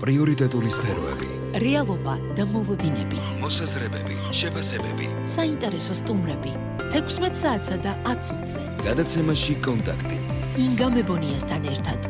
პრიორიტეტული სფეროები, რეალობა და მოლოდინები, მოსაზრებები, შეფასებები, საინტერესო სტუმრები, 16 საათსა და 10 წუთზე. გადაცემაში კონტაქტი. ინგა მებონიასთან ერთად.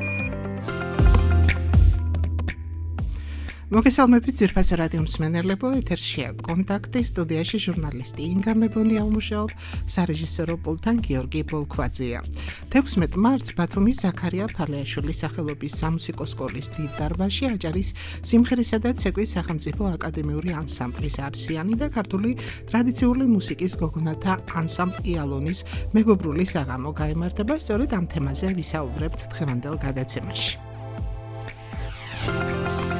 მოგესალმებით ძვირფასო რადიო მსმენელებო, ეთერშია კონტაქტი, სტუდიაში ჟურნალისტი ინგა მებონია მუშაობ, სარეჟისორო პულტთან გიორგი ბოლქვაძეა. 16 მარტს ბათუმის ზაქარია ფარლიაშვილის სახელობის სამუსიკო სკოლის დიდ დარბაზში აჭარის სიმღერისა და ცეკვის სახელმწიფო აკადემიური ანსამბლის არსიანი და ქართული ტრადიციული მუსიკის გოგონათა ანსამბლ იალონის მეგობრული საღამო გაიმართება. სწორედ ამ თემაზე ვისაუბრებთ დღევანდელ გადაცემაში.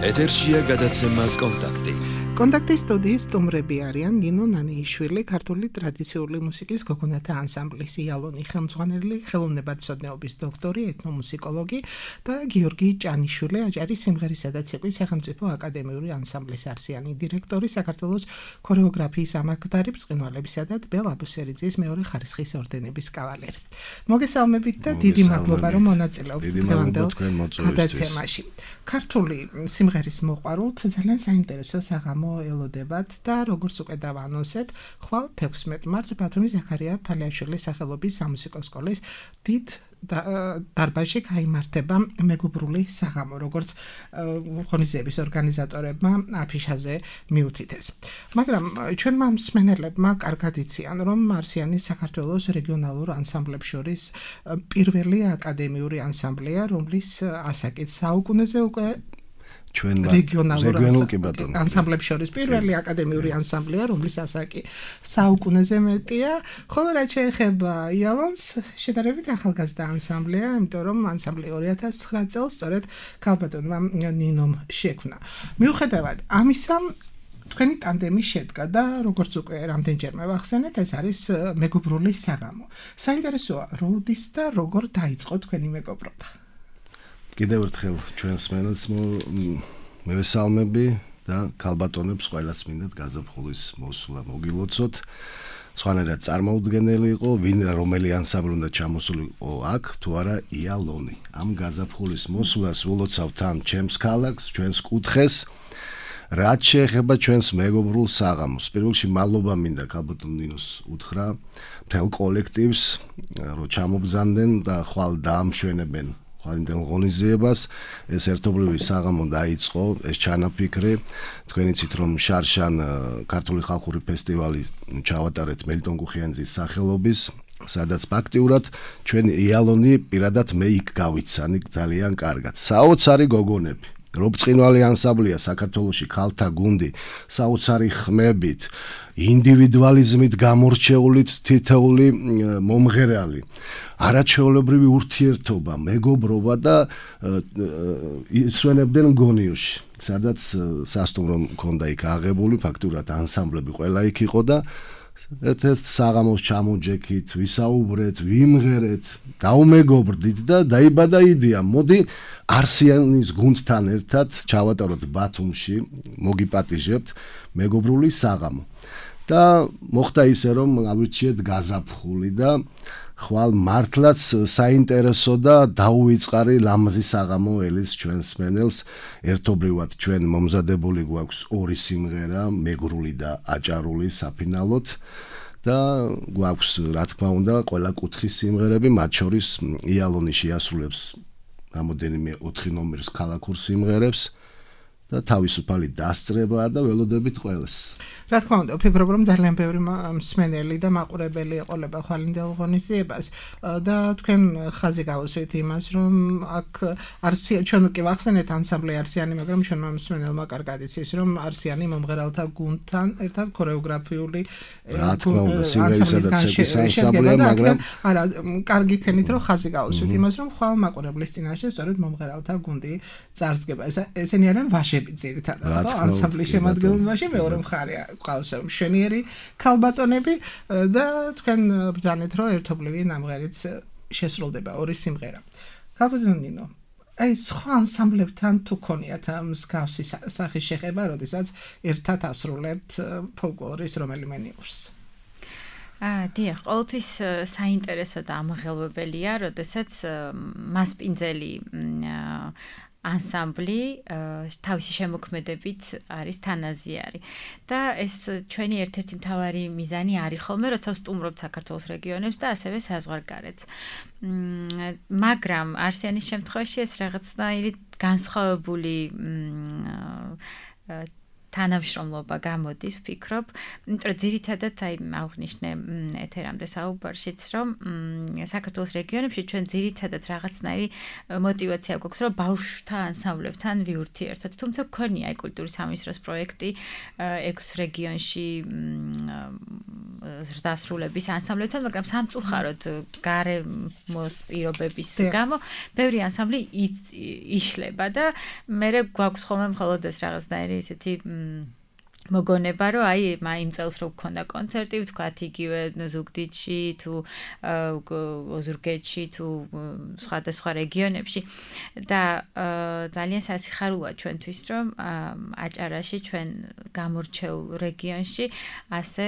ეთერშია გადაცემა კონტაქტი. კონტაქტის სტუდიის სტუმრები არიან ნინო ნანიიშვილი, ქართული ტრადიციული მუსიკის გოგონათა ანსამბლის იალონი ხელმძღვანელი, ხელოვნებათმცოდნეობის დოქტორი, ეთნომუსიკოლოგი და გიორგი ჭანიშვილი, აჭარის სიმღერისა და ცეკვის სახელმწიფო აკადემიური ანსამბლის არსიანი დირექტორი, საქართველოს ქორეოგრაფიის ამაყდარი, ბრწყინვალებისა და ტბელ აბუსერიძის მეორე ხარისხის ორდენების კავალერი. მოგესალმებით და დიდი მადლობა რომ მონაწილეობთ დღევანდელ გადაცემაში. ქართული სიმღერის მოყვარულთ ძალიან საინტერესო საღამო ელოდებათ და როგორც უკვე დავანონსეთ, ხვალ 16 მარტს ბათუმის ზაქარია ფარლიაშვილის სახელობის სამუსიკო სკოლის დიდ დარბაზში გაიმართება მეგობრული საღამო, როგორც ღონისძიების ორგანიზატორებმა აფიშაზე მიუთითეს. მაგრამ ჩვენმა მსმენელებმა კარგად იციან, რომ არსიანი საქართველოს რეგიონალურ ანსამბლებს შორის პირველი აკადემიური ანსამბლია, რომლის ასაკით საუკუნეზე უკვე რეგიონალურ ანსამბლებს შორის პირველი აკადემიური ანსამბლია, რომლის ასაკი საუკუნეზე მეტია, ხოლო რაც შეეხება იალონს, შედარებით ახალგაზრდა ანსამბლია, იმიტომ რომ ანსამბლი 2009 წელს სწორედ ქალბატონმა ნინომ შექმნა. მიუხედავად ამისა, თქვენი ტანდემი შედგა და როგორც უკვე რამდენჯერმე ვახსენეთ, ეს არის მეგობრული საღამო. საინტერესოა, როდის და როგორ დაიწყო თქვენი მეგობრობა? კიდევ ერთხელ ჩვენს მსმენელს მევესალმები და ქალბატონებს ყველას მინდათ გაზაფხულის მოსვლა მოგილოცოთ. სხვანაირად წარმოუდგენელი იყო, ვინ რომელი ანსამბლი უნდა ჩამოსულიყო აქ, თუ არა იალონი. ამ გაზაფხულის მოსვლას ულოცავ თან ჩემს ქალაქს, ჩვენს კუთხეს, რაც შეეხება ჩვენს მეგობრულ საღამოს. პირველ რიგში მადლობა მინდა ქალბატონ ნინოს უთხრა მთელ კოლექტივს, რომ ჩამობრძანდნენ და ხვალ დაამშვენებენ ხვალინდელ ღონისძიებას. ეს ერთობლივი საღამო დაიწყო, ეს ჩანაფიქრე. თქვენ იცით, რომ შარშან ქართული ხალხური ფესტივალი ჩავატარეთ მელიტონ გუხიანძის სახელობის, სადაც ფაქტიურად ჩვენ იალონი პირადად მე იქ გავიცანი ძალიან კარგად. საოცარი გოგონები, რობწყინვალი ანსამბლია საქართველოში, ქალთა გუნდი, საოცარი ხმებით, ინდივიდუალიზმით გამორჩეული თითოეული მომღერალი, არაჩვეულებრივი ურთიერთობა, მეგობრობა და ისვენებდნენ გონიოში, სადაც სასტუმრო მქონდა იქ აღებული, ფაქტურად ანსამბლები ყველა იქ იყო და ერთ-ერთ საღამოს ჩამოჯექით, ვისაუბრეთ, ვიმღერეთ, დაუმეგობრდით და დაიბადა იდეა, მოდი არსიანის გუნდთან ერთად ჩავატაროთ ბათუმში, მოგიპატიჟებთ მეგობრული საღამო. და მოხდა ისე, რომ ავირჩიეთ გაზაფხული და ხვალ მართლაც საინტერესო და დაუვიწყარი ლამაზი საღამო ელის ჩვენს მსმენელს. ერთობლივად ჩვენ მომზადებული გვაქვს ორი სიმღერა, მეგრული და აჭარული საფინალოდ და გვაქვს რა თქმა უნდა ყველა კუთხის სიმღერები, მათ შორის იალონი შეასრულებს რამოდენიმე 4 ნომრის ქალაქურ სიმღერებს და თავისუფალი დასწრებაა და ველოდებით ყველას. რა თქმა უნდა, ვფიქრობ, რომ ძალიან ბევრი მსმენელი და მაყურებელი ეყოლება ხვალინდელ ღონისძიებას და თქვენ ხაზი გავუსვით იმას, რომ აქ ჩვენ უკვე ვახსენეთ ანსამბლი არსიანი, მაგრამ ჩვენმა მსმენელმა კარგად იცის, რომ არსიანი მომღერალთა გუნდთან ერთად ქორეოგრაფიული ანსამბლის განშენდება, მაგრამ არა, კარგი ქენით რომ ხაზი გავუსვით იმას, რომ ხვალ მაყურებლის წინაშე სწორედ მომღერალთა გუნდი წარსდგება. ესენი არიან ვაჟები ძირითადად, ხო? ანსამბლის შემადგენლობაში მეორე მხარეა ყავს მშვენიერი ქალბატონები და თქვენ ბრძანეთ, რომ ერთობლივი ნამღერიც შესრულდება ორი სიმღერა. ქალბატონ ნინო, აი სხვა ანსამბლებთან თუ ქონიათ მსგავსი სახის შეხება, როდესაც ერთად ასრულებთ ფოლკლორის რომელიმე ნიმუშს? დიახ, ყოველთვის საინტერესო და ამაღელვებელია, როდესაც მასპინძელი ანსამბლი თავისი შემოქმედებით არის თანაზიარი და ეს ჩვენი ერთ-ერთი მთავარი მიზანი არის ხოლმე, როცა ვსტუმრობთ საქართველოს რეგიონებს და ასევე საზღვარგარეთს. მაგრამ არსიანის შემთხვევაში ეს რაღაცნაირი განსხვავებული თანამშრომლობა გამოდის, ვფიქრობ, იმიტომ რომ ძირითადად აღვნიშნე ეთერამდე საუბარშიც, რომ საქართველოს რეგიონებში ჩვენ ძირითადად რაღაცნაირი мотиваცია გვაქვს, რომ ბავშვთა ანსამბლებთან ვიურთიერთოთ. თუმცა გქონია კულტურის სამინისტროს პროექტი 6 რეგიონში ზრდასრულების ანსამბლებთან, მაგრამ სამწუხაროდ გარემოს პირობების გამო ბევრი ანსამბლი იშლება და მე გვაქვს ხოლმე მხოლოდ ეს რაღაცნაირი ისეთი მოგონება რომ იმ წელს რო გქონდა კონცერტი, ვთქვათ იგივე ზუგდიდში თუ ოზურგეთში თუ სხვადასხვა რეგიონებში და ძალიან სასიხარულოა ჩვენთვის რომ აჭარაში ჩვენ გამორჩეულ რეგიონში ასე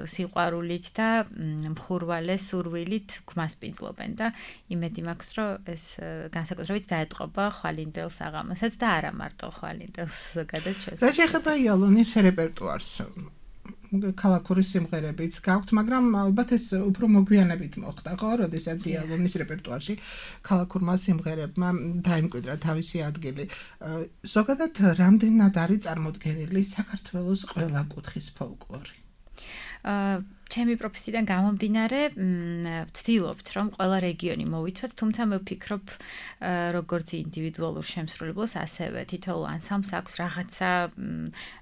სიყვარულით და მხურვალე სურვილით გვასპინძლობენ და იმედი მაქვს რომ ეს განსაკუთრებით დაეტყობა ხვალინდელ საღამოსაც და არა მარტო ხვალინდელს ზოგადად ჩვენს. რა შეხება იალონის რეპერტუარს ქალაქური სიმღერებიც გაქვთ, მაგრამ ალბათ ეს უფრო მოგვიანებით მოხდა, ხო? როდესაც იალონის რეპერტუარში ქალაქურმა სიმღერებმა დაიმკვიდრა თავისი ადგილი. ზოგადად რამდენად არის წარმოდგენილი საქართველოს ყველა კუთხის ფოლკლორი? ჩემი პროფესიიდან გამომდინარე, ვცდილობთ, რომ ყველა რეგიონი მოვიცვათ, თუმცა მე ვფიქრობ, როგორც ინდივიდუალურ შემსრულებელს, ასევე თითოეულ ანსამბლს აქვს რაღაცა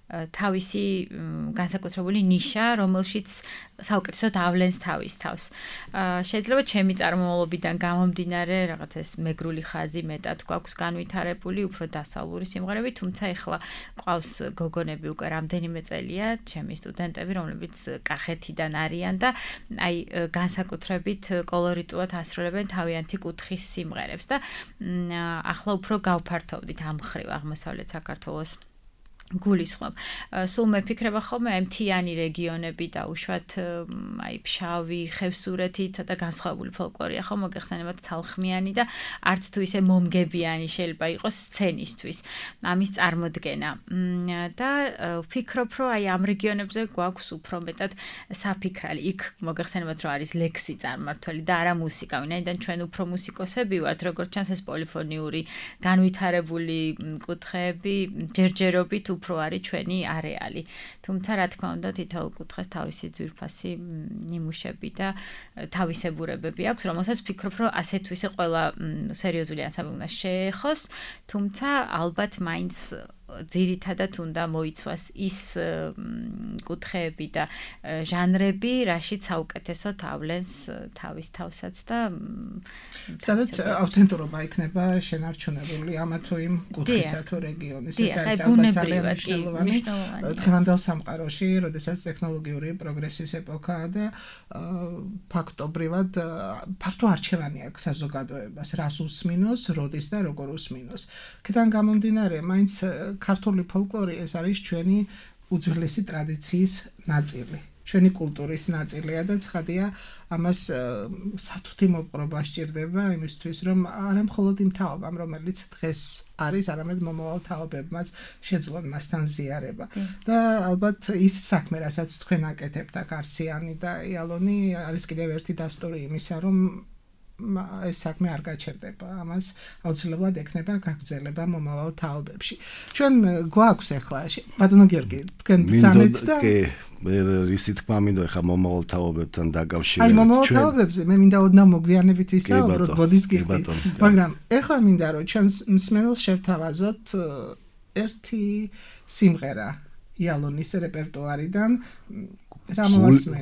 თავისი განსაკუთრებული ნიშა, რომელშიც საუკეთესოდ ავლენს თავის თავს. შეიძლება ჩემი წარმომავლობიდან გამომდინარე, რაღაც ეს მეგრული ხაზი მეტად გვაქვს განვითარებული, უფრო დასავლური სიმღერები, თუმცა ეხლა ყავს გოგონები უკვე რამდენიმე წელია, ჩემი სტუდენტები, რომლებიც კახეთიდან არიან და განსაკუთრებით კოლორიტულად ასრულებენ თავიანთი კუთხის სიმღერებს და ახლა უფრო გავფართოვდით ამ მხრივ აღმოსავლეთ საქართველოს გულისხმობ. სულ მეფიქრება ხოლმე მთიანი რეგიონები და უშუალოდ ფშავი, ხევსურეთი ცოტა განსხვავებული ფოლკლორია ხო მოგეხსენებათ ცალხმიანი და არც თუ ისე მომგებიანი შეიძლება იყოს სცენისთვის ამის წარმოდგენა. და ვფიქრობ, რომ ამ რეგიონებზე გვაქვს უფრო მეტად საფიქრალი. იქ მოგეხსენებათ, რომ არის ლექსი წარმმართველი და არა მუსიკა. ვინაიდან ჩვენ უფრო მუსიკოსები ვართ, როგორც ჩანს ეს პოლიფონიური განვითარებული კუთხეები ჯერჯერობით უფრო არის ჩვენი არეალი. თუმცა რა თქმა უნდა თითოეულ კუთხეს თავისი ძვირფასი ნიმუშები და თავისებურებები აქვს, რომელსაც ვფიქრობ, რომ ასე თუ ისე ყველა სერიოზული ანსამბლი უნდა შეეხოს, თუმცა ალბათ მაინც ძირითადად უნდა მოიცვას ის კუთხეები და ჟანრები, რაშიც საუკეთესოდ ავლენს თავის თავსაც და სადაც ავთენტურობა იქნება შენარჩუნებული ამა თუ იმ კუთხისა თუ რეგიონის. ეს არის ალბათ ძალიან მნიშვნელოვანი დღევანდელ სამყაროში, როდესაც ტექნოლოგიური პროგრესის ეპოქაა და ფაქტობრივად ფართო არჩევანი აქვს საზოგადოებას, რას უსმინოს, როდის და როგორ უსმინოს. აქედან გამომდინარე, მაინც ქართული ფოლკლორი ეს არის ჩვენი უძველესი ტრადიციის ნაწილი, ჩვენი კულტურის ნაწილია და ცხადია ამას სათუთი მოპყრობა სჭირდება იმისთვის, რომ არა მხოლოდ იმ თაობამ, რომელიც დღეს არის, არამედ მომავალ თაობებმაც შეძლონ მასთან ზიარება. და ალბათ ის საქმე, რასაც თქვენ აკეთებთ აქ არსიანი და იალონი არის კიდევ ერთი დასტური იმისა, რომ ეს საქმე არ გაჩერდება. ამას აუცილებლად ექნება გაგრძელება მომავალ თაობებში. ჩვენ გვაქვს ახლა ბატონო გიორგი, თქვენ ბრძანეთ და მე რისი თქმა მინდო ახლა მომავალ თაობებთან დაკავშირებით. აი მომავალ თაობებზე მე მინდა ოდნავ მოგვიანებით ვისაუბროთ, ბოდის გიხდით. მაგრამ ახლა მინდა რომ ჩვენს მსმენელს შევთავაზოთ ერთი სიმღერა იალონის რეპერტუარიდან.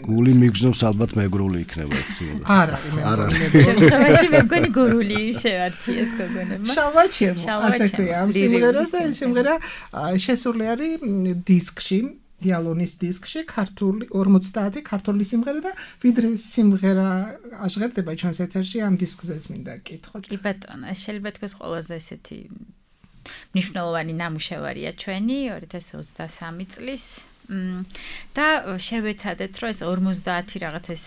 გული მიგზნობს ალბათ მეგრული იქნება ეს სიმღერა. არ არის შემთხვევაში მე მგონი გურული შევარჩიეს გოგონებმა. შალვაჩემო, ასე ქვია ამ სიმღერას და ეს სიმღერა შესული არის დისკში, იალონის დისკში, ქართული 50 ქართული სიმღერა და ვიდრე სიმღერა აღღებდება ჩვენს ეთერში ამ დისკზეც მინდა გკითხოთ. კი ბატონო, ეს შეიძლება თქვენ ყველაზე ესეთი მნიშვნელოვანი ნამუშევარია ჩვენი 2023 წლის და შევეცადეთ რომ ეს 50 რაღაც ეს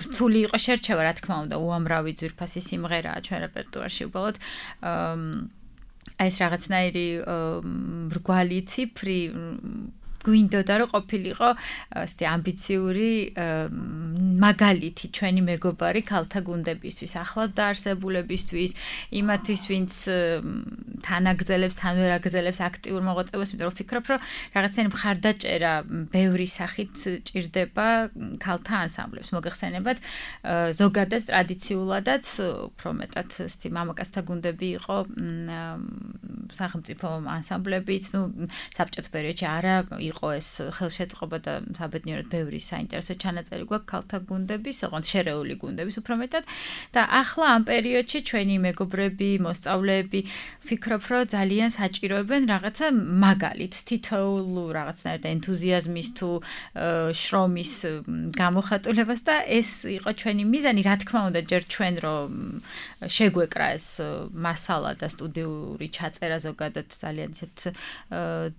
რთული იყო შერჩევა რა თქმა უნდა უამრავი ძვირფასი სიმღერაა ჩვენ რეპერტუარში უბრალოდ ეს რაღაცნაირი მრგვალი ციფრი გვინდოდა რომ ყოფილიყო ასეთი ამბიციური მაგალითი ჩვენი მეგობარი ქალთა გუნდებისთვის, ახლად დაარსებულებისთვის, იმათვის, ვინც თანაგრძელებს, თანვერაგრძელებს აქტიურ მოღვაწეობას, იმიტომ რომ ვფიქრობ, რომ რაღაცნაირი მხარდაჭერა ბევრი სახით ჭირდება ქალთა ანსამბლებს. მოგეხსენებათ, ზოგადად ტრადიციულადაც, უფრო მეტად ასეთი მამაკაცთა გუნდები იყო სახელმწიფო ანსამბლებიც, საბჭოთა პერიოდში არა იყო ეს ხელშეწყობა და საბედნიეროდ ბევრი საინტერესო ჩანაწერი გვაქვს ქალთა გუნდების, ოღონდ შერეული გუნდების უფრო მეტად და ახლა ამ პერიოდში ჩვენი მეგობრები, მოსწავლეები ვფიქრობ, რომ ძალიან საჭიროებენ რაღაცა მაგალითს, თითოეულ რაღაცნაირად ენთუზიაზმის თუ შრომის გამოხატულებას და ეს იყო ჩვენი მიზანი, რა თქმა უნდა, ჯერ ჩვენ რომ შეგვეკრა ეს მასალა და სტუდიური ჩაწერა ზოგადად ძალიან ისეთ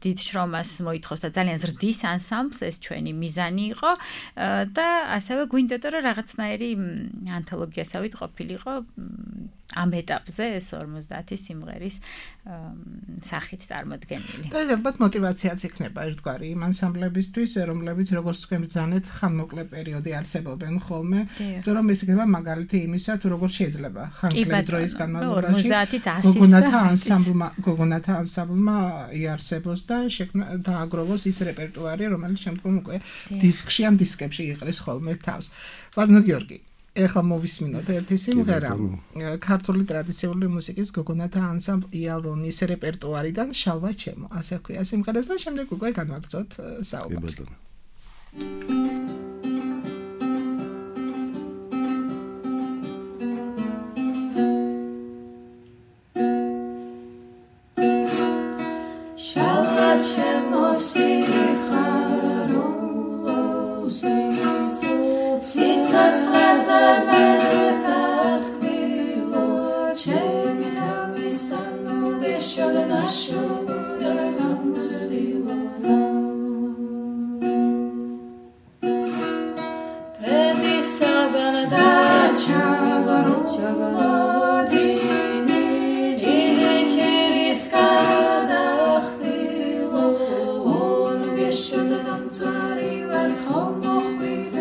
დიდ შრომას მოითხოვს და ძალიან ზრდის ანსამბლს ეს ჩვენი მიზანი იყო და ასევე გვინდოდა რომ რაღაცნაირი ანთოლოგიასავით ყოფილიყო ამ ეტაპზე ეს 50 სიმღერის სახით წარმოდგენილი. და ალბათ мотиваციაც იქნება ერთგვარი იმ ანსამბლებისთვის, რომლებიც როგორც თქვენ ბრძანეთ, ხანმოკლე პერიოდი არსებობენ ხოლმე, იმიტომ რომ ეს იქნება მაგალითი იმისა, თუ როგორ შეიძლება ხანმოკლე დროის განმავლობაში გოგონათა ანსამბლმა იარსებოს და დააგროვოს ის რეპერტუარი, რომელიც შემდგომ უკვე დისკში ან დისკებში იყრის ხოლმე თავს. ბატონო გიორგი, ეხლა მოვისმინოთ ერთი სიმღერა ქართული ტრადიციული მუსიკის გოგონათა ანსამბლ იალონის რეპერტუარიდან შალვა ჩემო, ასე ვქვია სიმღერას და შემდეგ უკვე განვაგრძოთ საუბარი. შალვა ჩემო სიხარულოზე ციცაცხრაზე მეტად ქმნილო ჩემი თავის სანოდეშო და ნაშობო და გამოსtillo პედისაგან დაჩაგარო დიდი ჩირის გადახდილო ონუგეშო და დამწარი ვარ თომოხვიდე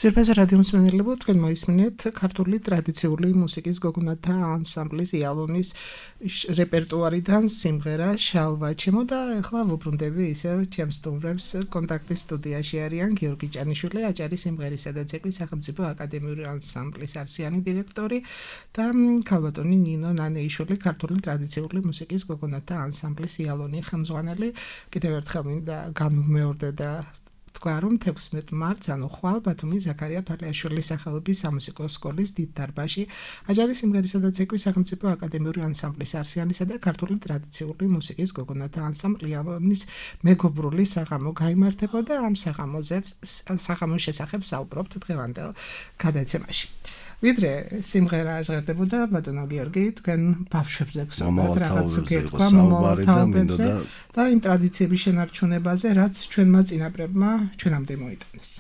ძვირფასი რადიო მსმენელებო, თქვენ მოისმინეთ ქართული ტრადიციული მუსიკის გოგონათა ანსამბლის იალონის რეპერტუარიდან სიმღერა შალვა ჩემო და ახლა ვუბრუნდები ისევ ჩემს სტუმრებს კონტაქტის სტუდიაში არიან გიორგი ჭანიშვილი, აჭარის სიმღერისა და ცეკვის სახელმწიფო აკადემიური ანსამბლის არსიანი დირექტორი და ქალბატონი ნინო ნანეიშვილი, ქართული ტრადიციული მუსიკის გოგონათა ანსამბლის იალონი ხელმძღვანელი. კიდევ ერთხელ მინდა განვმეორდე და თქვა რომ 16 მარტს ანუ ხვალ ბათუმის ზაქარია ფარლიაშვილის სახელობის სამუსიკო სკოლის დიდ დარბაზში აჭარის სიმღერისა და ცეკვის სახელმწიფო აკადემიური ანსამბლის არსიანისა და ქართული ტრადიციული მუსიკის გოგონათა ანსამბლი იალონის მეგობრული საღამო გაიმართებოდა. ამ საღამოს შესახებ საუბრობთ დღევანდელ გადაცემაში. ვიდრე სიმღერა ჟღერდებოდა ბატონო გიორგი, თქვენ ბავშვებზე გსურვებთ რაღაც გეთქვა მომავალთაობებზე და იმ ტრადიციების შენარჩუნებაზე, რაც ჩვენმა წინაპრებმა ჩვენამდე მოიტანეს.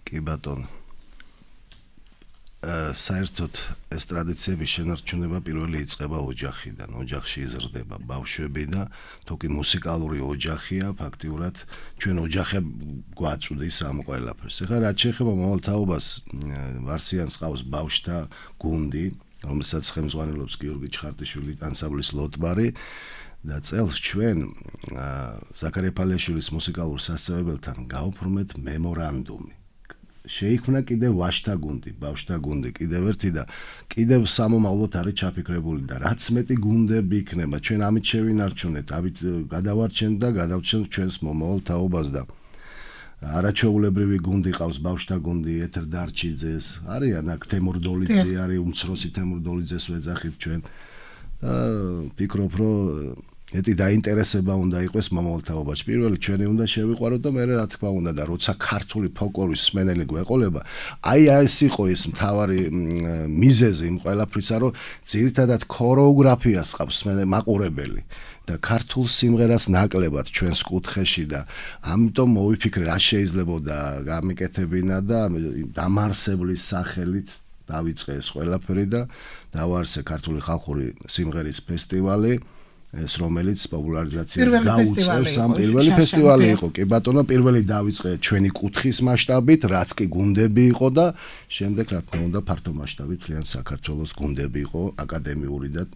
კი ბატონო. საერთოდ ეს ტრადიციების შენარჩუნება პირველი იწყება ოჯახიდან, ოჯახში იზრდება ბავშვები და თუკი მუსიკალური ოჯახია, ფაქტიურად ჩვენ ოჯახი გვაწვდის ამ ყველაფერს. ეხლა რაც შეეხება მომავალ თაობას, ვარსიანს ყავს ბავშვთა გუნდი, რომელსაც ხელმძღვანელობს გიორგი ჩხარტიშვილი ანსამბლის ლოტბარი და წელს ჩვენ ზაქარია ფალიაშვილის მუსიკალურ სასწავლებელთან გავფორმეთ მემორანდუმი. შეიქმნა კიდევ ვაჟთა გუნდი, ბავშვთა გუნდი, კიდევ ერთი და კიდევ სამომავლოდ არის ჩაფიქრებული და რაც მეტი გუნდები იქნება, ჩვენ ამით შევინარჩუნეთ, ამით გადავარჩენთ და გადავჩენთ ჩვენს მომავალ თაობას და არაჩვეულებრივი გუნდი ყავს ბავშვთა გუნდი ეთერ დარჩიძეს, არიან აქ თემურ დოლიძე არის, უმცროსი თემურ დოლიძეს ვეძახით ჩვენ და ფიქრობ, რომ ეტი დაინტერესება უნდა იყოს მომავალ თაობაში. პირველი ჩვენი უნდა შევიყვაროთ და მერე რა თქმა უნდა და როცა ქართული ფოლკლორის მსმენელი გვეყოლება, აი ეს იყო ის მთავარი მიზეზი იმ ყველაფრისა, რომ ძირითადად ქორეოგრაფიას ყავს მაყურებელი და ქართულ სიმღერას ნაკლებად ჩვენს კუთხეში და ამიტომ მოვიფიქრე რა შეიძლებოდა გამიკეთებინა და დამარსებლის სახელით დავიწყე ეს ყველაფერი და დავაარსე ქართული ხალხური სიმღერის ფესტივალი. ეს რომელიც პოპულარიზაციას გაუწევს ამ პირველი ფესტივალი იყო. კი ბატონო, პირველი დავიწყე ჩვენი კუთხის მასშტაბით, რაც კი გუნდები იყო და შემდეგ რა თქმა უნდა ფართო მასშტაბით მთლიან საქართველოს გუნდები იყო, აკადემიური და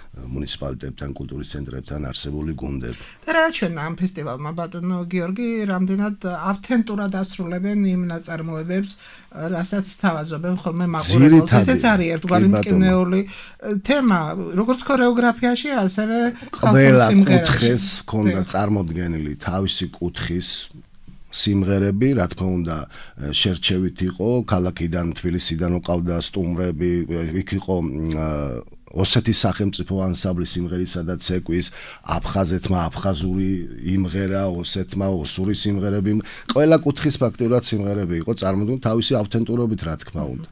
მუნიციპალიტეტთან, კულტურის ცენტრებთან არსებული გუნდები. და რა ჩვენ ამ ფესტივალმა ბატონო გიორგი რამდენად ავთენტურად ასრულებენ იმ ნაწარმოებებს, რასაც თავაზობენ ხოლმე მაყურებელს. ესეც არის ერთგვარი მკვნეული თემა, როგორც ქორეოგრაფიაში, ასევე ყველა კუთხეს ჰქონდა წარმოდგენილი თავისი კუთხის სიმღერები, რა თქმა უნდა, შერჩევით იყო, ქალაქიდან, თბილისიდან უყავდა სტუმრები, იქ იყო ოსეთის სახელმწიფო ანსამბლის სიმღერისა და ცეკვის, აფხაზეთმა აფხაზური იმღერა, ოსეთმა ოსური სიმღერები, ყველა კუთხის ფაქტიურად სიმღერები იყო წარმოდგენილი თავისი ავთენტურობით, რა თქმა უნდა.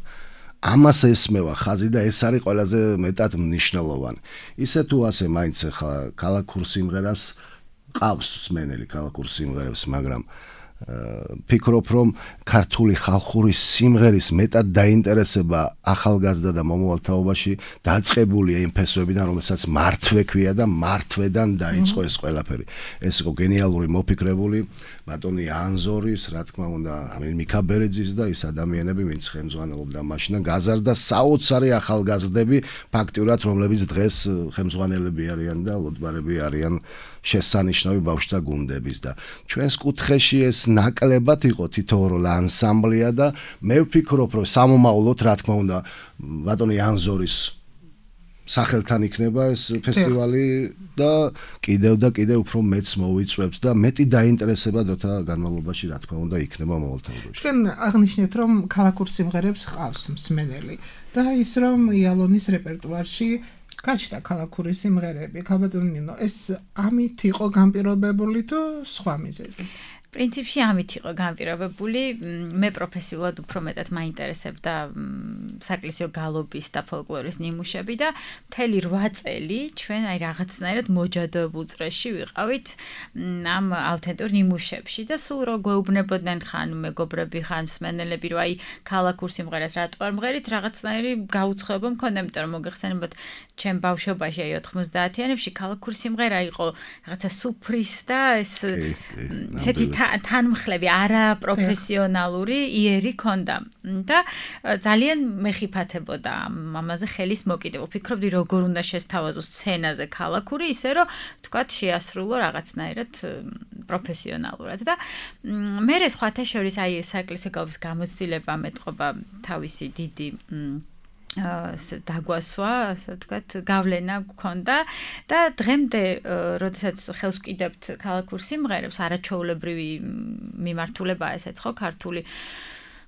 ამას ესმევა ხაზი და ეს არის ყველაზე მეტად მნიშვნელოვანი. ისე თუ ასე მაინც ახლა ქალაქურ სიმღერას ყავს მსმენელი ქალაქურ სიმღერებს, მაგრამ ფიქრობ, რომ ქართული ხალხური სიმღერის მეტად დაინტერესება ახალგაზრდა და მომავალ თაობაში დაწყებულია იმ ფესვებიდან, რომელსაც მართვე ქვია და მართვედან დაიწყო ეს ყველაფერი. ეს იყო გენიალური მოფიქრებული ბატონი ანზორის, რა თქმა უნდა, მიქა ბერეძის და ის ადამიანები, ვინც ხელმძღვანელობდა მაშინ და გაზარდა საოცარი ახალგაზრდები, ფაქტიურად, რომლებიც დღეს ხელმძღვანელები არიან და ლოტბარები არიან შესანიშნავი ბავშვთა გუნდების და ჩვენს კუთხეში ეს ნაკლებად იყო თითოეულ ანსამბლია და მე ვფიქრობ, რომ სამომავლოდ, რა თქმა უნდა, ბატონი ანზორის სახელთან იქნება ეს ფესტივალი და კიდევ უფრო მეც მოვიწვევთ და მეტი დაინტერესება დროთა განმავლობაში, რა თქმა უნდა, იქნება მომავალ თაობაში. ჩვენ აღნიშნეთ, რომ ქალაქურ სიმღერებს ყავს მსმენელი და ის რომ იალონის რეპერტუარში გაჩნდა ქალაქური სიმღერები, ქალბატონინო, ეს ამით იყო განპირობებული თუ სხვა მიზეზი? პრინციპში ამით იყო განპირობებული. მე პროფესიულად უფრო მეტად მაინტერესებდა საკლისიო გალობის და ფოლკლორის ნიმუშები და მთელი 8 წელი ჩვენ აი რაღაცნაირად მოჯადოებულ წრეში ვიყავით ამ ავთენტურ ნიმუშებში და სულ რო გვეუბნებოდნენ ხან მეგობრები, ხან მსმენელები, რომ აი ქალაქურ სიმღერას რატო არ მღერით, რაღაცნაირი გაუცხოება მქონდა, იმიტომ რომ მოგეხსენებათ ჩემ ბავშვობაში აი 90-იანებში ქალაქური სიმღერა იყო რაღაცა სუფრის და ესეთი თანმხლები არაპროფესიონალური იერი ქონდა და ძალიან მეხიფათებოდა ამაზე ხელის მოკიდება. ვფიქრობდი როგორ უნდა შესთავაზოს სცენაზე ქალაქური, ისე რომ თქვათ შეასრულო რაღაცნაირად პროფესიონალურად და მე სხვათა შორის აი საეკლესიო გალობის გამოცდილება მეტყობა თავისი დიდი დაგვასვა, ასე ვთქვათ, გავლენა გქონდა და დღემდე, როდესაც ხელს ვკიდებთ ქალაქურ სიმღერებს, არაჩვეულებრივი მიმართულებაა ესეც ხო ქართული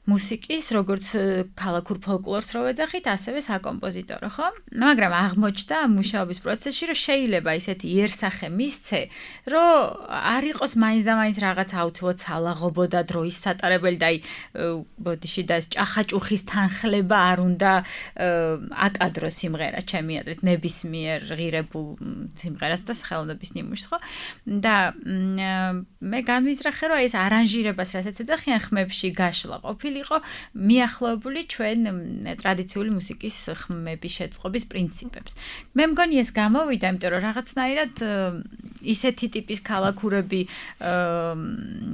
მუსიკის, როგორც ქალაქურ ფოლკლორს რო ვეძახით, ასევე საკომპოზიტორო, ხო? მაგრამ აღმოჩნდა მუშაობის პროცესში, რომ შეიძლება ისეთი იერსახე მისცე, რომ არ იყოს მაინც და მაინც რაღაც აუცილებლად სალაღობოდა დროის სატარებელი და აი ბოდიში და ეს ჭახაჭუხის თანხლება არ უნდა აკადრო სიმღერას, ჩემი აზრით, ნებისმიერ ღირებულ სიმღერას და ხელოვნების ნიმუშს, ხო? და მე განვიზრახე, რომ ეს არანჟირებას, რასაც ეძახიან ხმებში, გაშლა ყოფილი ყოფილიყო მიახლოებული ჩვენ ტრადიციული მუსიკის ხმების შეწყობის პრინციპებს. მე მგონი ეს გამოვიდა, იმიტომ რომ რაღაცნაირად ისეთი ტიპის ქალაქურები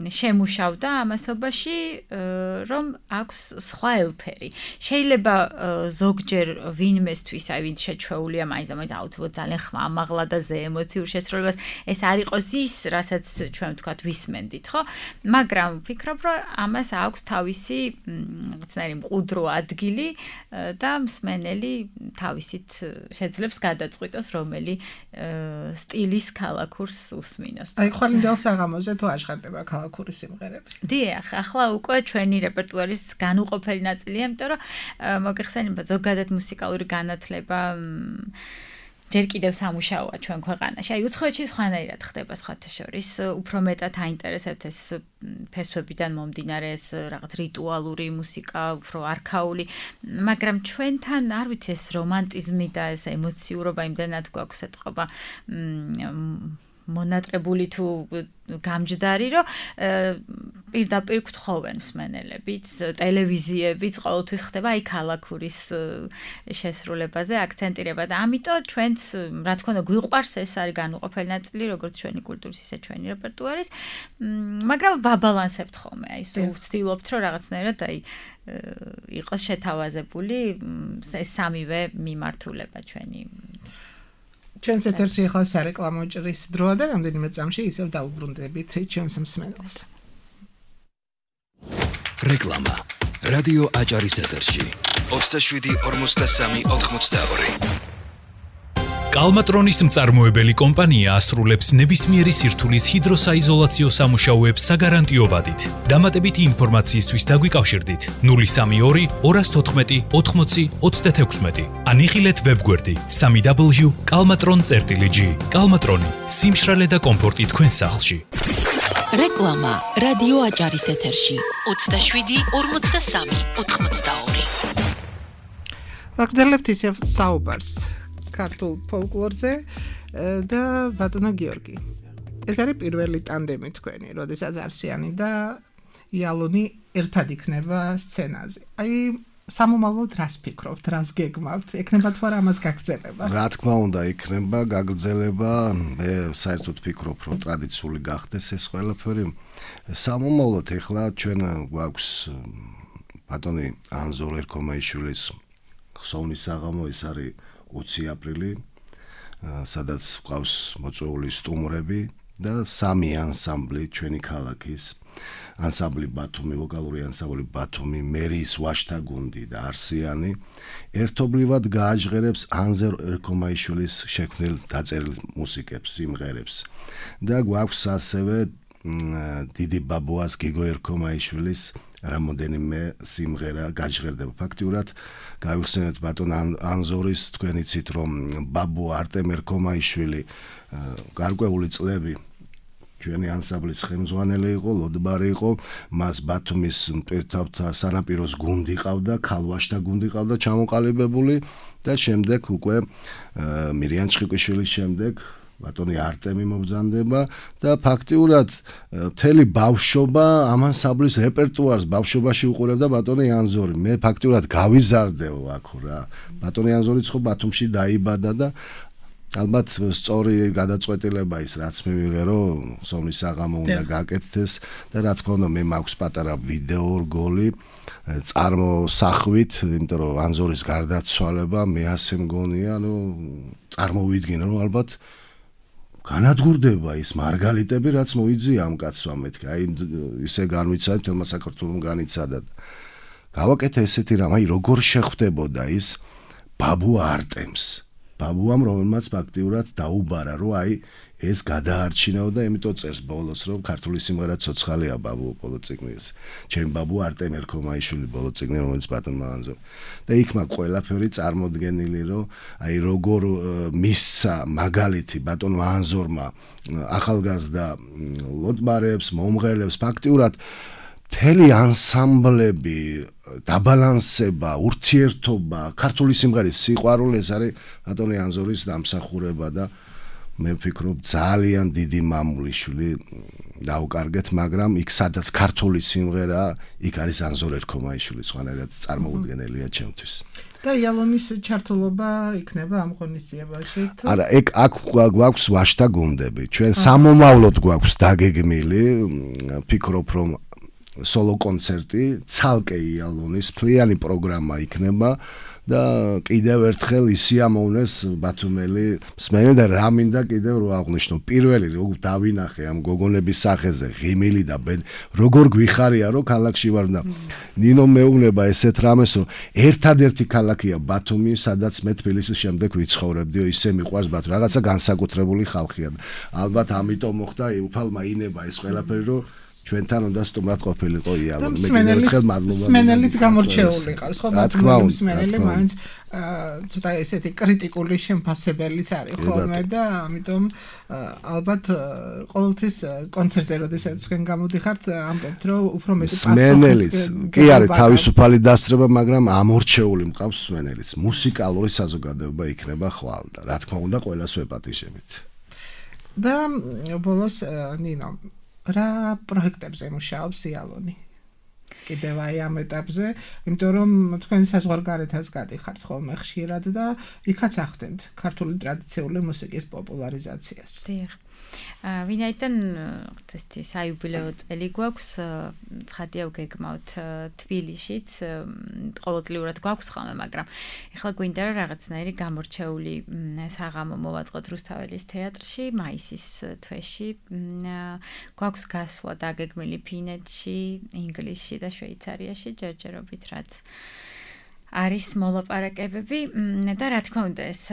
შემუშავდა ამასობაში, რომ აქვს სხვა ელფერი. შეიძლება ზოგჯერ ვინმესთვის, აი ვინც შეჩვეულია მაინც აუცილებლად ძალიან ხმამაღლა და ზე ემოციურ შესრულებას, ეს არ იყოს ის, რასაც ჩვენ ვთქვათ ვისმენდით, ხო? მაგრამ ვფიქრობ, რომ ამას აქვს თავისი რაღაცნაირი მყუდრო ადგილი და მსმენელი თავისით შეძლებს გადაწყვიტოს, რომელი სტილის ქალაქურს უსმინოს. აი ხვალინდელ საღამოზე თუ აღხარდება ქალაქური სიმღერები. დიახ, ახლა უკვე ჩვენი რეპერტუარის განუყოფელი ნაწილია, იმიტომ რომ მოგეხსენებათ ზოგადად მუსიკალური განათლება ჯერ კიდევ სამუშაოა ჩვენ ქვეყანაში. აი უცხოეთში სხვანაირად ხდება სხვათა შორის, უფრო მეტად აინტერესებთ ეს ფესვებიდან მომდინარე ეს რაღაც რიტუალური მუსიკა, უფრო არქაული, მაგრამ ჩვენთან არ ვიცი ეს რომანტიზმი და ეს ემოციურობა იმდენად გვაქვს ეთყობა მონატრებული თუ გამჯდარი, რომ პირდაპირ გთხოვენ მსმენელებიც, ტელევიზიებიც ყოველთვის ხდება აი ქალაქურის შესრულებაზე აქცენტირება და ამიტომ ჩვენც რა თქმა უნდა გვიყვარს ეს არის განუყოფელი ნაწილი როგორც ჩვენი კულტურის ისე ჩვენი რეპერტუარის, მაგრამ ვაბალანსებთ ხოლმე, აი სულ ვცდილობთ რომ რაღაცნაირად აი იყოს შეთავაზებული ეს სამივე მიმართულება ჩვენი ჩვენს ეთერში ახლა სარეკლამო ჭრის დროა და რამდენიმე წამში ისევ დაუბრუნდებით ჩვენს მსმენელს. რეკლამა. რადიო აჭარის ეთერში 27-43-82. კალმატრონის მწარმოებელი კომპანია ასრულებს ნებისმიერი სირთულის ჰიდროსაიზოლაციო სამუშაოებს საგარანტიო ვადით. დამატებითი ინფორმაციისთვის დაგვიკავშირდით 032 214 80 36 ან იხილეთ ვებგვერდი www.kalmatron.gr. კალმატრონი, სიმშრალე და კომფორტი თქვენ სახლში. რეკლამა რადიო აჭარის ეთერში 27-43-82. ვაგრძელებთ ისევ საუბარს ქართულ ფოლკლორზე და ბატონო გიორგი. ეს არის პირველი ტანდემი თქვენი, როდესაც არსიანი და იალონი ერთად იქნება სცენაზე. აი სამომავლოდ რას ფიქრობთ, რას გეგმავთ? ექნება თუ არა ამას გაგრძელება? რა თქმა უნდა, იქნება გაგრძელება. მე საერთოდ ფიქრობ, რომ ტრადიციული გახდეს ეს ყველაფერი. სამომავლოდ ეხლა ჩვენ გვაქვს ბატონი ანზორ ერქომაიშვილის ხსოვნის საღამო, ეს არის 20 აპრილი, სადაც გვყავს მოწვეული სტუმრები და 3 ანსამბლი ჩვენი ქალაქის, ანსამბლი ბათუმი, ვოკალური ანსამბლი ბათუმი, მერის ვაშთა გუნდი და არსიანი ერთობლივად გააჟღერებს ანზორ ერქომაიშვილის შექმნილ დაწერილ მუსიკებს, სიმღერებს. და გვაქვს ასევე დიდი ბაბუას გიგო ერქომაიშვილის რამოდენიმე სიმღერა გაჟღერდება. ფაქტიურად გავიხსენეთ ბატონ ანზორის, თქვენ იცით რომ ბაბუ არტემ ერქომაიშვილი გარკვეული წლები ჩვენი ანსამბლის ხელმძღვანელი იყო, ლოდბარი იყო, მას ბათუმის პირთავთა სანაპიროს გუნდი ყავდა, ქალვაშთა გუნდი ყავდა ჩამოყალიბებული და შემდეგ უკვე მირიან ჩხიკვიშვილის შემდეგ ბატონი არტემი მობრძანდება და ფაქტიურად მთელი ბავშვობა ამ ანსამბლის რეპერტუარს ბავშვობაში უყურებდა ბატონი ანზორი. მე ფაქტიურად გავიზარდეო აქ რა. ბატონი ანზორიც ხო ბათუმში დაიბადა და ალბათ სწორი გადაწყვეტილება ის რაც მე ვიღერო, სომის საღამო უნდა გაკეთდეს და რა თქმა უნდა მე მაქვს პატარა ვიდეო რგოლი წარმოსახვით, იმიტომ რომ ანზორის გარდაცვალება მე ასე მგონია, წარმოვიდგინე რომ ალბათ განადგურდება ის მარგალიტები, რაც მოიძია ამ კაცმა მეთქი. აი ისე განვიცადეთ, თელმა საქართველოს განიცადა. გავაკეთე ესეთი რამ, აი როგორ შეხვდებოდა ის ბაბუ არტემს. ბაბუამ რომელმაც ფაქტიურად დაუბარა, რომ აი ეს გადაარჩინაო და იმიტომ წერს ბოლოს, რომ ქართული სიმღერა ცოცხალია ბაბუ ბოლოწიგნის. ჩემ ბაბუ არტემ ერქომაიშვილი ბოლოწიგნი, რომელიც ბატონმა ანზორ. და იქ მაგ ყველაფერი წარმოდგენილი, რომ აი როგორ მისცა მაგალითი ბატონმა ანზორმა ახალგაზრდა ლოდბარებს, მომღერლებს, ფაქტიურად მთელი ანსამბლები, დაბალანსება, ურთიერთობა, ქართული სიმღერის სიყვარული, ეს არის ბატონი ანზორის დამსახურება და მე ვფიქრობ ძალიან დიდი მამულიშვილი დაუკარგეთ, მაგრამ იქ სადაც ქართული სიმღერაა, იქ არის ანზორ ერქომაიშვილი, სხვანაირად წარმოუდგენელია ჩემთვის. და იალონის ჩართულობა იქნება ამ ღონისძიებაში თუ არა, აქ გვაქვს ვაშთა გუნდები. ჩვენ სამომავლოდ გვაქვს დაგეგმილი, ფიქრობ რომ სოლო კონცერტი, ცალკე იალონის მთლიანი პროგრამა იქნება და კიდევ ერთხელ ისიამოვნეს ბათუმელი მსმენელი და რა მინდა კიდევ რო აღვნიშნო. პირველი როგორ დავინახე ამ გოგონების სახეზე ღიმილი და როგორ გვიხარია რომ ქალაქში ვარ და ნინო მეუბნება ესეთ რამეს რომ ერთადერთი ქალაქია ბათუმი, სადაც მე თბილისის შემდეგ ვიცხოვრებდიო, ისე მიყვარს ბათუმი. რაღაცა განსაკუთრებული ხალხია. ალბათ ამიტომ მოხდა უფალმა ინება ეს ყველაფერი რომ ჩვენთან უნდა სტუმრად ყოფილიყო იალო. მე კიდევ ერთხელ მადლობა. მსმენელიც გამორჩეული ყავს, ხო, ბათუმელი მსმენელი მაინც ცოტა ესეთი კრიტიკული შემფასებელიც არის ხოლმე და ამიტომ ალბათ ყოველთვის კონცერტზე როდესაც თქვენ გამოდიხართ, ამბობთ რომ უფრო მეტი მსმენელიც კი არის თავისუფალი დასწრება, მაგრამ ამორჩეული მყავს მსმენელიც. მუსიკალური საზოგადოება იქნება ხვალ და რა თქმა უნდა ყველას ვეპატიჟებით. და ბოლოს ნინო რა პროექტებზე მუშაობს იალონი? კიდევ აი ამ ეტაპზე, იმიტომ რომ თქვენ საზღვარგარეთაც გადიხართ ხოლმე ხშირად და იქაც ახდენთ ქართული ტრადიციული მუსიკის პოპულარიზაციას. დიახ. ვინაიდან წესთი საიუბილეო წელი გვაქვს, ცხადია ვგეგმავთ თბილისშიც, ყოველწლიურად გვაქვს ხოლმე, მაგრამ ეხლა გვინდა რომ რაღაცნაირი გამორჩეული საღამო მოვაწყოთ რუსთაველის თეატრში მაისის თვეში. გვაქვს გასვლა დაგეგმილი ფინეთში, ინგლისში და შვეიცარიაში ჯერჯერობით, რაც არის მოლაპარაკებები და რა თქმა უნდა ეს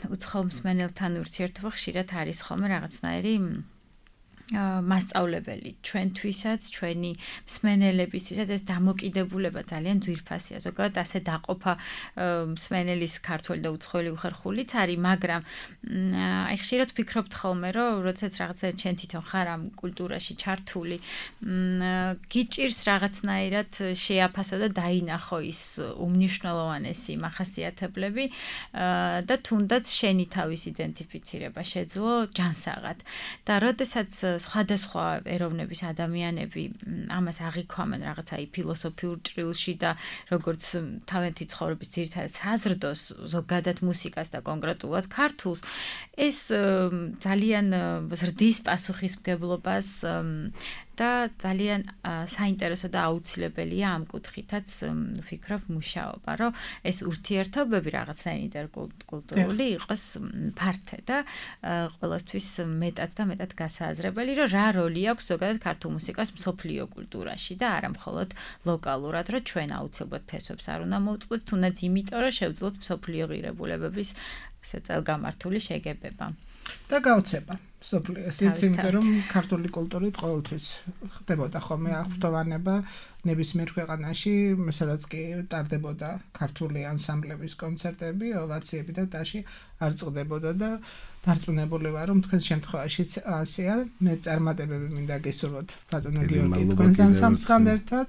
უცხოელ მსმენელთან ურთიერთობა ხშირად არის ხოლმე რაღაცნაირი მასწავლებელი ჩვენთვისაც, ჩვენი მსმენელებისთვისაც ეს დამოკიდებულება ძალიან ძვირფასია. ზოგადად ასე დაყოფა მსმენელის ქართველი და უცხოელი უხერხულიც არის, მაგრამ აი ხშირად ვფიქრობთ ხოლმე, რომ როდესაც რაღაცა ჩვენ თვითონ ხარ ამ კულტურაში ჩართული, გიჭირს რაღაცნაირად შეაფასო და დაინახო ის უმნიშვნელოვანესი მახასიათებლები და თუნდაც შენი თავის იდენტიფიცირება შეძლო ჯანსაღად. და როდესაც სხვადასხვა ეროვნების ადამიანები ამას აღიქვამენ რაღაცა ფილოსოფიურ ჭრილში და როგორც თავიანთი ცხოვრების ძირითადად საზრდოს ზოგადად მუსიკას და კონკრეტულად ქართულს, ეს ძალიან ზრდის პასუხისმგებლობას და ძალიან საინტერესო და აუცილებელია ამ კუთხითაც ვფიქრობ მუშაობა, რომ ეს ურთიერთობები რაღაცნაირი ინტერკულტურული იყოს ფართე და ყველასთვის მეტად და მეტად გასააზრებელი, რომ რა როლი აქვს ზოგადად ქართულ მუსიკას მსოფლიო კულტურაში და არა მხოლოდ ლოკალურად, რომ ჩვენ აუცილებლად ფესვებს არ უნდა მოვწყდეთ, თუნდაც იმიტომ, რომ შევძლოთ მსოფლიო ღირებულებების წელგამართული შეგებება. და გაუცება სოფლიოსიც, იმიტომ რომ ქართული კულტურით ყოველთვის ხდებოდა ხოლმე აღფრთოვანება ნებისმიერ ქვეყანაში, სადაც კი ტარდებოდა ქართული ანსამბლების კონცერტები, ოვაციები და ტაში არ წყდებოდა და დარწმუნებული ვარ, რომ თქვენ შემთხვევაშიც ასეა. მე წარმატებები მინდა გესურვოთ ბატონო გიორგი თქვენს ანსამბლთან ერთად,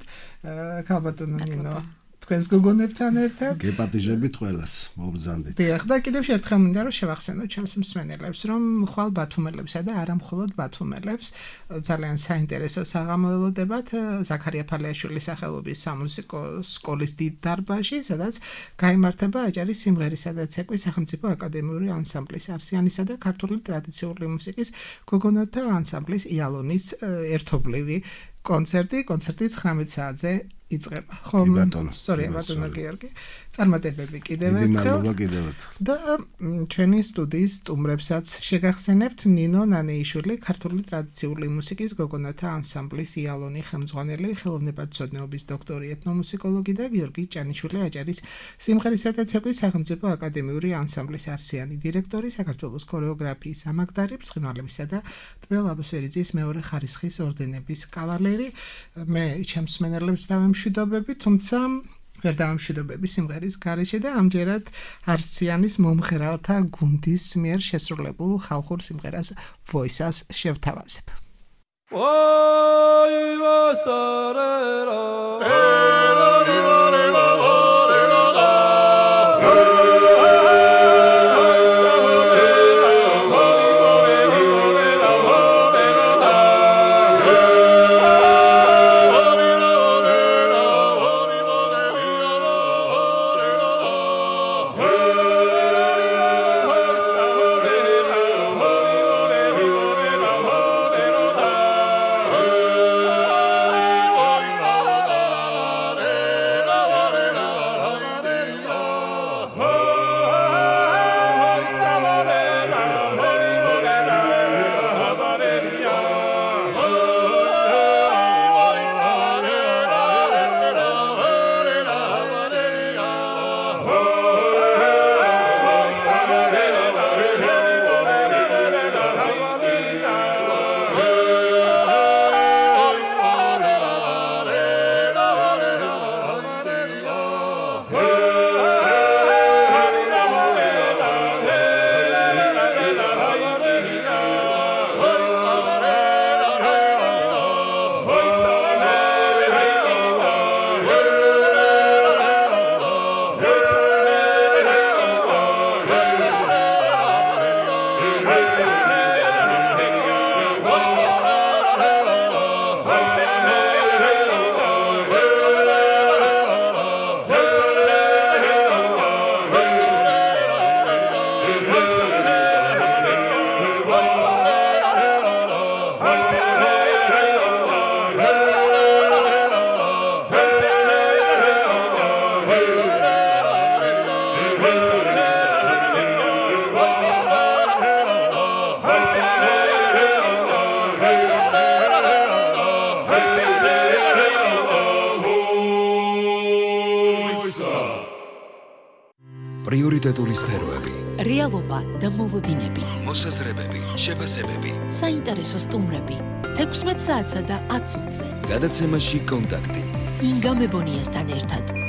ქალბატონო ნინო თქვენს გოგონებთან ერთად. გეპატიჟებით ყველას, მობრძანდით. დიახ, და კიდევ ერთხელ მინდა რომ შევახსენოთ ჩვენს მსმენელებს, რომ ხვალ ბათუმელებსა და არა მხოლოდ ბათუმელებს ძალიან საინტერესო საღამო ელოდებათ ზაქარია ფალიაშვილის სახელობის სამუსიკო სკოლის დიდ დარბაზში, სადაც გაიმართება აჭარის სიმღერისა და ცეკვის სახელმწიფო აკადემიური ანსამბლის არსიანისა და ქართული ტრადიციული მუსიკის გოგონათა ანსამბლის იალონის ერთობლივი კონცერტი 19 საათზე იწყება. ხომ? სწორია ბატონო გიორგი. წარმატებები კიდევ ერთხელ. და ჩვენი სტუდიის სტუმრებსაც შეგახსენებთ ნინო ნანეიშვილი, ქართული ტრადიციული მუსიკის გოგონათა ანსამბლის იალონი ხელმძღვანელი, ხელოვნებათმცოდნეობის დოქტორი, ეთნომუსიკოლოგი და გიორგი ჭანიშვილი, აჭარის სიმღერისა და ცეკვის სახელმწიფო აკადემიური ანსამბლის არსიანი დირექტორი, საქართველოს ქორეოგრაფიის ამაგდარი, ბრწყინვალებისა და ტბელ აბუსერიძის მეორე ხარისხის ორდენების კავალერი. მე ჩემს მსმენელებს დავემშვიდობები, თუმცა ვერ დავამშვიდობები სიმღერის გარეშე და ამჯერად არსიანის მომღერალთა გუნდის მიერ შესრულებულ ხალხურ სიმღერას ვოისას შევთავაზებ. ავტორიტეტული სფეროები, რეალობა და მოლოდინები, მოსაზრებები, შეფასებები. საინტერესო სტუმრები 16 საათსა და 10 წუთზე. გადაცემაში კონტაქტი. ინგა მებონიასთან ერთად.